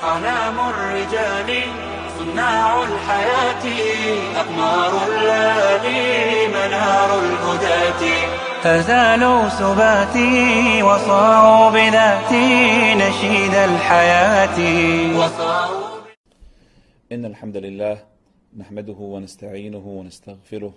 أعلام الرجال صناع الحياة أقمار الليالي منار الهداة فزالوا سباتي وصاروا بذاتي نشيد الحياة إن الحمد لله نحمده ونستعينه ونستغفره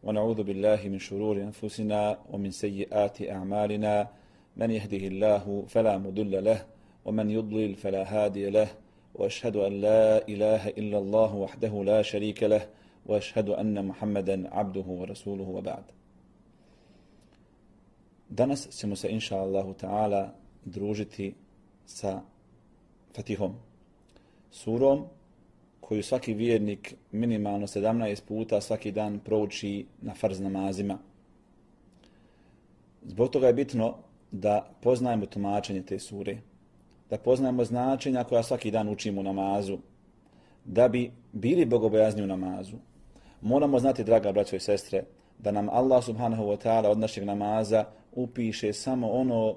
ونعوذ بالله من شرور أنفسنا ومن سيئات أعمالنا من يهده الله فلا مضل له ومن يضلل فلا هادي له وأشهد أن لا إله إلا الله وحده لا شريك له وأشهد أن محمدا عبده ورسوله وبعد. Danas ćemo se inša Allahu ta'ala družiti sa Fatihom, surom koju svaki vjernik minimalno 17 puta svaki dan prouči na farz namazima. Zbog toga je bitno da poznajemo tumačenje te sure, da poznajemo značenja koja svaki dan učimo u namazu. Da bi bili bogobojazni u namazu, moramo znati, draga braćo i sestre, da nam Allah subhanahu wa ta'ala od našeg namaza upiše samo ono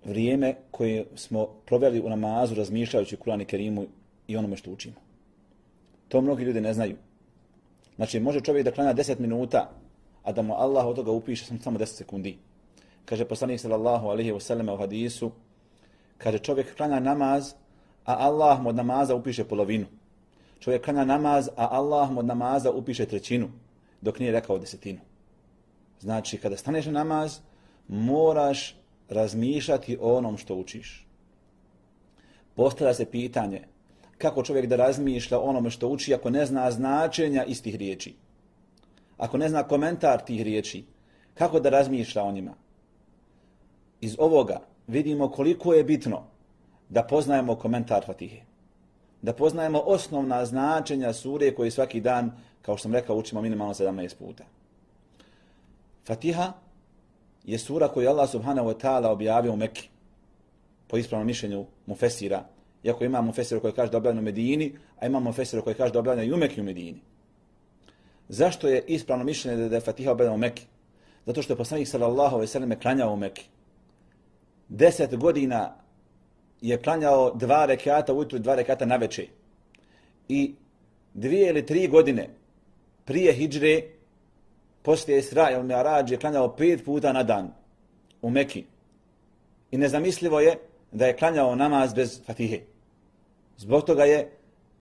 vrijeme koje smo proveli u namazu razmišljajući Kur'an i Kerimu i onome što učimo. To mnogi ljudi ne znaju. Znači, može čovjek da klanja 10 minuta, a da mu Allah od toga upiše samo 10 sekundi. Kaže poslanik sallallahu alejhi ve selleme u hadisu, kaže čovjek klanja namaz, a Allah mu od namaza upiše polovinu. Čovjek klanja namaz, a Allah mu od namaza upiše trećinu, dok nije rekao desetinu. Znači, kada staneš na namaz, moraš razmišljati o onom što učiš. Postavlja se pitanje kako čovjek da razmišlja o onome što uči ako ne zna značenja istih riječi. Ako ne zna komentar tih riječi, kako da razmišlja o njima? Iz ovoga vidimo koliko je bitno da poznajemo komentar Fatihe. Da poznajemo osnovna značenja sure koje svaki dan, kao što sam rekao, učimo minimalno 17 puta. Fatiha je sura koju Allah subhanahu wa ta'ala objavio u Mekki, po ispravnom mišljenju mufesira. Iako ima mufesira koji kaže da objavljeno u Medini, a ima mufesira koji kaže da objavljeno i u Mekki i u Medini. Zašto je ispravno mišljenje da je Fatiha objavljena u Mekki? Zato što je poslanik sallallahu alejhi ve selleme klanjao u Mekki. 10 godina je klanjao 2 rekata ujutru i 2 rekata navečer. I 2 ili 3 godine prije hidžre, poslije Isra ili Mi'rađ, je klanjao 5 puta na dan u Mekki. I nezamislivo je da je klanjao namaz bez Fatihe. Zbog toga je